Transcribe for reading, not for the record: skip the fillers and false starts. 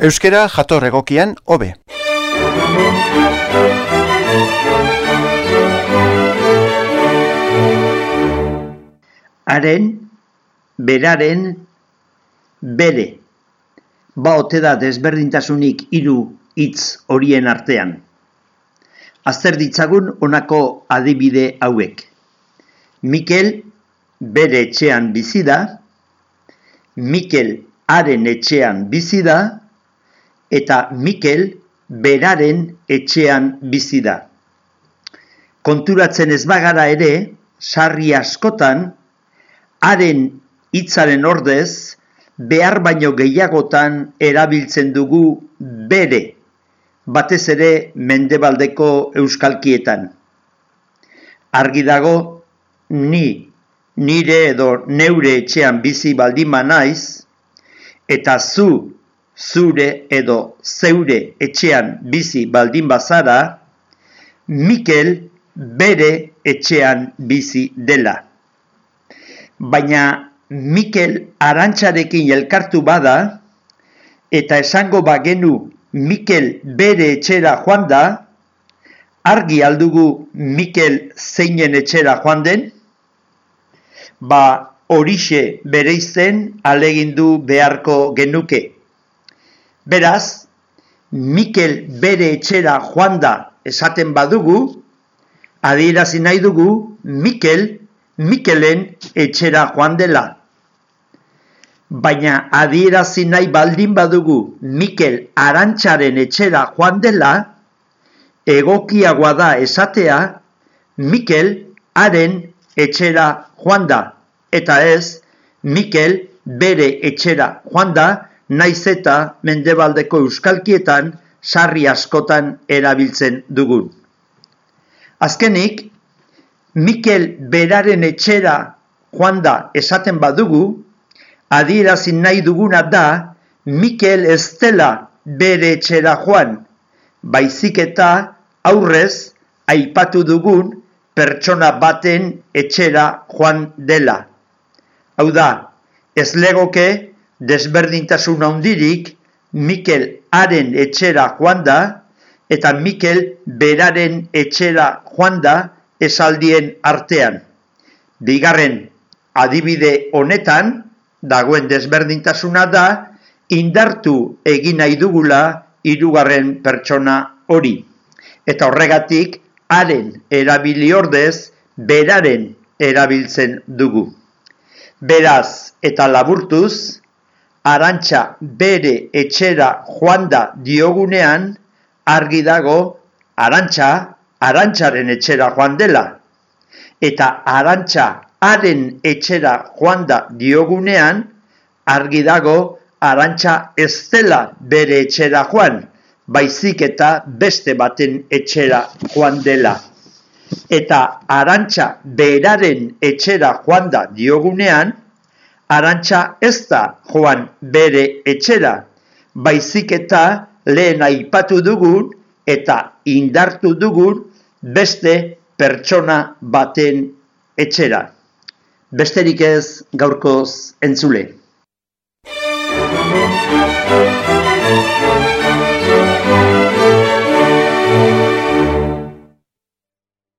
Euskera jator egokian hobe. Haren, beraren, bere. Ba ote da desberdintasunik hiru hitz horien artean. Azter ditzagun honako adibide hauek. Mikel bere etxean bizi da, Mikel haren etxean bizi da, eta Mikel beraren etxean bizi da. Konturatzen ez bagara ere, sarri askotan, haren hitzaren ordez, behar baino gehiagotan erabiltzen dugu bere, batez ere mendebaldeko euskalkietan. Argi dago, nire edo neure etxean bizi baldin naiz, eta zure edo zeure etxean bizi baldin bazara, Mikel bere etxean bizi dela. Baina Mikel Arantxarekin elkartu bada, eta esango bagenu Mikel bere etxera joan da, argi aldugu Mikel zeinen etxera joan den? Horixe bereizten alegindu beharko genuke. Beraz, Mikel bere etxera joan da esaten badugu, adierazi nahi dugu Mikelen etxera joan dela. Baina adierazi nahi baldin badugu Mikel Arantxaren etxera joan dela, egokiagoa da esatea Mikel haren etxera joan da, eta ez Mikel bere etxera joan da, naiz eta mendebaldeko euskalkietan sarri askotan erabiltzen dugun. Azkenik, Mikel beraren etxera joan da esaten badugu, adierazi nahi duguna da Mikel ez dela bere etxera joan, baizik eta aurrez aipatu dugun pertsona baten etxera joan dela. Hau da, ez legoke desberdintasun handirik Mikel haren etxera joan da, eta Mikel beraren etxera joan da esaldien artean. Bigarren adibide honetan, dagoen desberdintasuna da, indartu egin nahi dugula hirugarren pertsona hori. Eta horregatik, haren erabili ordez, beraren erabiltzen dugu. Beraz eta laburtuz, Arantxa bere etxera joan da diogunean, argi dago Arantxa Arantxaren etxera joan dela. Eta Arantxa haren etxera joan da diogunean, argi dago Arantxa ez dela bere etxera joan, baizik eta beste baten etxera joan dela. Eta Arantxa beraren etxera joan da diogunean, Arantxa ez da joan bere etxera, baizik eta lehen aipatu dugun eta indartu dugun beste pertsona baten etxera. Besterik ez gaurkoz entzule.